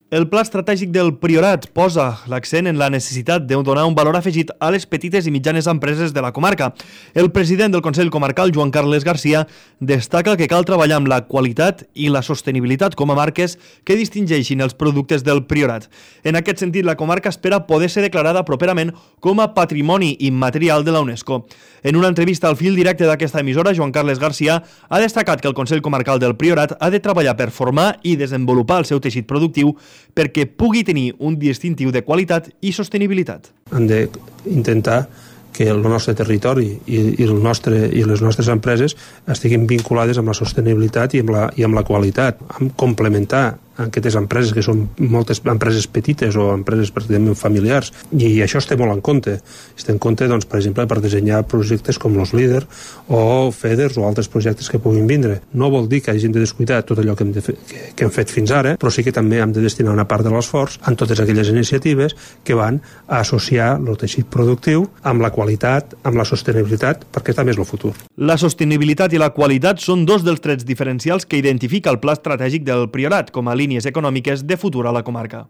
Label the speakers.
Speaker 1: El pla estratègic del Priorat posa l'accent en la necessitat de donar un valor afegit a les petites i mitjanes empreses de la comarca. El president del Consell Comarcal, Joan Carles Garcia, destaca que cal treballar amb la qualitat i la sostenibilitat com a marques que distingeixin els productes del Priorat. En aquest sentit, la comarca espera poder ser declarada properament com a Patrimoni Immaterial de la UNESCO. En una entrevista al fil directe d'aquesta emissora, Joan Carles Garcia ha destacat que el Consell Comarcal del Priorat ha de treballar per formar i desenvolupar el seu teixit productiu perquè pugui tenir un distintiu de qualitat i sostenibilitat.
Speaker 2: Hem d'intentar que el nostre territori i les nostres empreses estiguin vinculades amb la sostenibilitat i amb la qualitat, amb complementar aquestes empreses que són moltes empreses petites o empreses pràcticament familiars, i això es té molt en compte. Es té en compte, doncs, per exemple, per dissenyar projectes com los LEADER o FEDERS o altres projectes que puguin vindre. No vol dir que hagin de descuidar tot allò que hem fet fins ara, però sí que també hem de destinar una part de l'esforç en totes aquelles iniciatives que van a associar el teixit productiu amb la qualitat, amb la sostenibilitat, perquè també és el futur.
Speaker 1: La sostenibilitat i la qualitat són dos dels trets diferencials que identifica el pla estratègic del Priorat com a línies econòmiques de futur a la comarca.